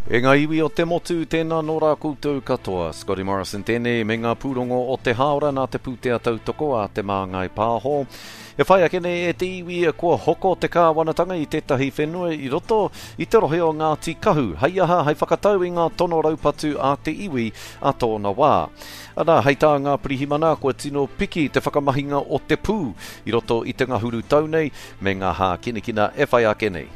E ngā iwi o te motu, tēnā nō rā koutou katoa. Scotty Morrison tēnei me ngā pūrongo o te hāora nā te pūtea tautoko a Te Māngai Pāho. E whai ake nei e te iwi kua hoko te kāwanatanga i tētahi whenua i roto i te rohe o Ngāti Kahu, hei aha, hei whakatau i ngā tono raupatu a te iwi a tōna wā. Ana, hei tā ngā pirihimana, kua tino piki te whakamahinga o te pū i roto i te ngahuru tau nei me ngā hākinakina e whai ake nei.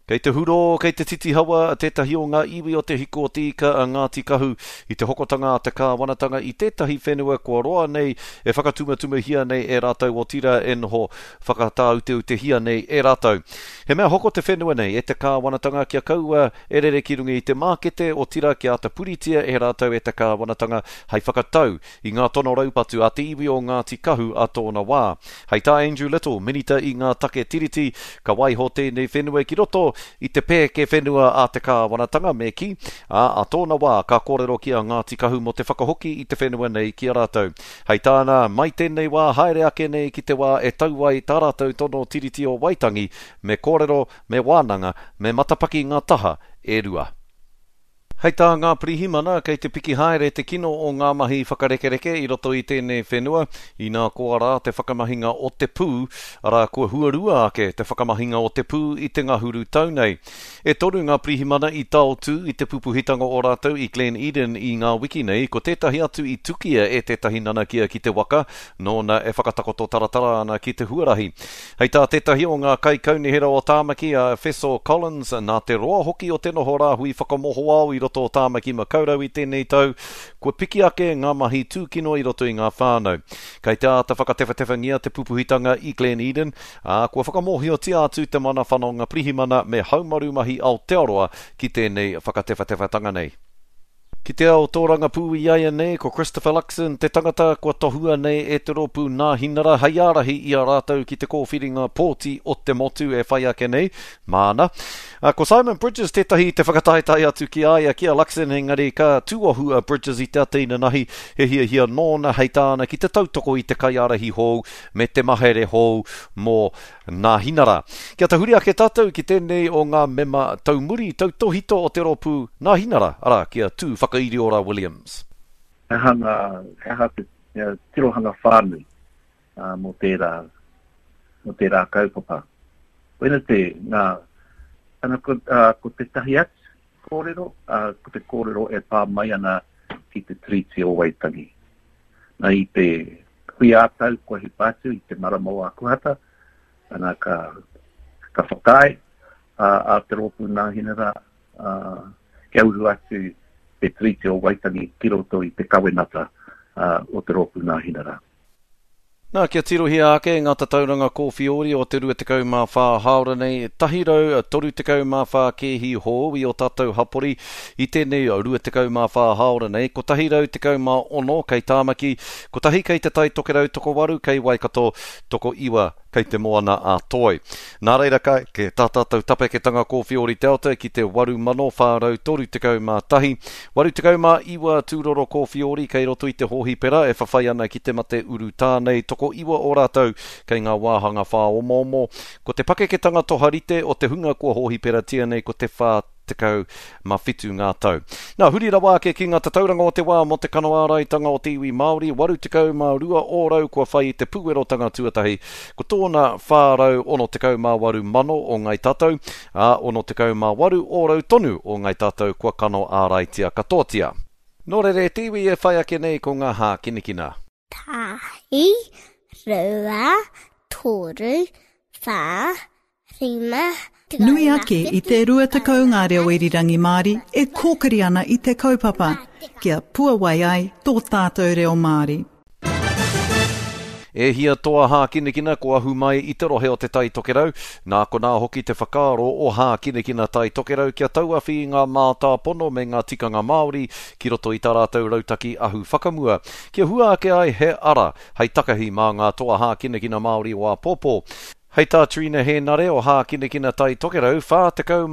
Kei te hurō, kei te titihawa tētahi o ngā iwi o Te Hiku o Te Ika a Ngāti Kahu i te hokotanga a te kāwanatanga i tētahi whenua kua roa nei e whakatumatumahia nei e rātou otirā e noho whakatāuteutehia nei e rātou. He mea hoko te whenua nei e te kāwanatanga kia kaua e rere ki runga i te mākete otirā kia āta puritia e rātou e te kāwanatanga hei whakatau i ngā tono raupatu a te iwi o Ngāti Kahu a tōna wā. Hei tā Andrew Little, Minita i ngā take Tiriti, ka waiho tēnei whenua ki roto i te pēke whenua a te kāwanatanga me kī, ā, a tōna wā ka kōrero ki a Ngāti Kahu mō te whakahoki i te whenua nei ki a rātou. Hei tāna, mai tēnei wā haere ake nei ki te wā e tau ai tā rātou tono Tiriti o Waitangi, me kōrero, me wānanga, me matapaki ngā taha e rua. Hei tā ngā pirihimana, kei te piki haere te kino o ngā mahi whakarekereke i roto i tēnei whenua, inā koa rā te whakamahinga o te pū, arā, kua huarua ake te whakamahinga o te pū i te ngahuru tau nei. E toru ngā pirihimana i taotū i te pupuhitanga o rātou i Glen Eden i ngā wiki nei, ko tētahi atu i tukia e tētahi nanakia ki te waka, nōna e whakatakoto taratara ana ki te huarahi. Hei tā tētahi o ngā kaikaunihera o Tāmaki, a Efeso Collins, nā te roa hoki o te noho rāhui whakamohoao i roto o Tāmaki Makaurau i tēnei tau, kua piki ake ngā mahi tūkino i roto i ngā whānau. Kei te āta whakatewhatewhangia te pupuhitanga i Glen Eden, ā, kua whakamōhiotia atu te Mana Whanonga Pirihimana me Haumaru Mahi Aotearoa ki tēnei whakatewhatewhatanga nei. Ki te ao tōrangapū iaianei, ko Christopher Luxon te tangata kua tohua nei e te rōpū Nāhinara hei ārahi i a rātou ki te kōwhiringa pōti o te motu e whai ake nei, māna. Ko Simon Bridges tētahi i te whakataetae atu ki a ia, ki a Luxon, engari ka tūohu a Bridges i te ata inanahi, he hiahia nōna hei tāna ki te tautoko i te kaiārahi hou me te mahere hou mō Nāhinara. Kia tahuri ake tātou ki tēnei o ngā mema taumuri tautōhito o te rōpū Nāhinara, arā, ki a Tū Whakairiora Williams. He aha ngā, he aha te tirohanga whānui mō tērā, mō tērā kaupapa. Koina te, ngā, ana ko, ko tētahi atu kōrero, ko te kōrero e pā mai ana ki te Tiriti o Waitangi. Nā, i te hui ā-tau kua hipa atu i te marama o Akuhata, ana ka, ka whakaae a, a te rōpū Nāhinara a, kia uru atu te Tiriti o Waitangi ki roto i te kawenata a, o te rōpū Nāhinara. Nā, kia tirohia ake ngā tatauranga kōwhiori o te 24 hāora nei, 134 kēhi hou i ō tātou hapori i tēnei 24 hāora nei, 116 kei Tāmaki, kotahi kei Te Tai Tokerau, tokowaru kei Waikato, tokoiwa kei Te Moana a Toi. Nā reira ka eke tā tātou tapeketanga kōwhiori Delta ki te 8,431, 89 tūroro kōwhiori kei roto i te hōhipera e whawhai ana ki te mate urutā nei, tokoiwa o rātou kei ngā wāhanga whāomoomo. Ko te pakeketanga toharite o te hunga kua hōhiperatia nei ko te 47 ngā tau. Nā, huri rawa ake ki ngā tatauranga o te wā mō te kano āraitanga o te iwi Māori, 82 ōrau kua whai i te pūerotanga tuatahi, ko tōna 468 mano o Ngāi Tātou, ā, 68 ōrau tonu o Ngāi Tātou kua kano āraitia katoatia. Nō reira e te iwi e whai ake nei ko ngā hākinakina. Tahi, rua, toru, whā, rima, Nui ake i te 20 ngā reo irirangi Māori e kōkiri ana i te kaupapa kia puawai ai tō tātou reo Māori. E hia toa hākinakina kua ahu mai i te rohe o Te Tai Tokerau, nā konā hoki te whakaaro o Hākinakina Tai Tokerau kia tauawhi i ngā mātāpono me ngā tikanga Māori ki roto i tā rātou rautaki ahu whakamua, kia hua ake ai he ara hei takahi mā ngā toa hākinakina Māori o āpōpō. Hei tā Trina Hēnare o Hākinakina Tai Tokerau, 46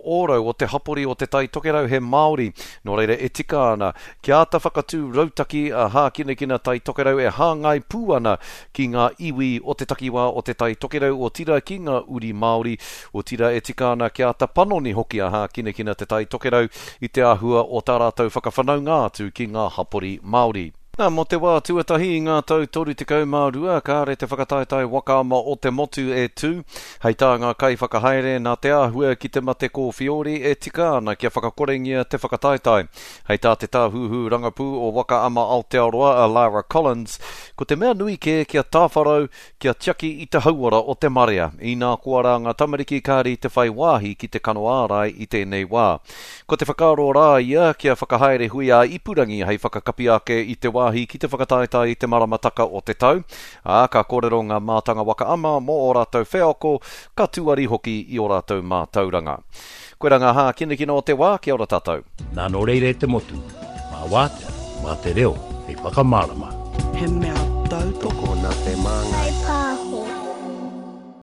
ōrau o te hapori o Te Tai Tokerau he Māori, nō reira e tika ana kia āta whakatū rautaki a Hākinakina Tai Tokerau e hāngai pū ana ki ngā iwi o te takiwā o Te Tai Tokerau, otirā ki ngā uri Māori, otirā e tika ana kia āta panoni hoki a Hākinakina Te Tai Tokerau i te āhua o tā rātou whakawhanaunga atu ki ngā hapori Māori. Nā, mō te wā tuatahi i ngā tau 32, kāre te whakataetae waka ama o te motu e tū. Hei tā ngā kaiwhakahaere, nā te āhua ki te mate kōwhiori e tika ana kia whakakorengia te whakataetae. Hei tā te tāhuhu rangapū o Waka Ama Aotearoa a Lara Collins, ko te mea nui kē kia tāwharau, kia tiaki i te hauora o te marea, inā koa rā ngā tamariki kāre i te whai wāhi ki te kano ārai i tēnei wā. Ko te whakaaro rā ia kia whakahaere hui ā-ipurangi hei whakakapi ake i te wāhi ki te whakataetae i te maramataka o te tau, ā, ka kōrero ngā mātanga waka ama mō ō rātou wheako, ka tuari hoki i ō rātou mātauranga. Koirā ngā hākinakina o te wā, kia ora tātou. Nā nō reira e te motu, mā Wātea, mā te reo hei whakamārama. He mea tautoko.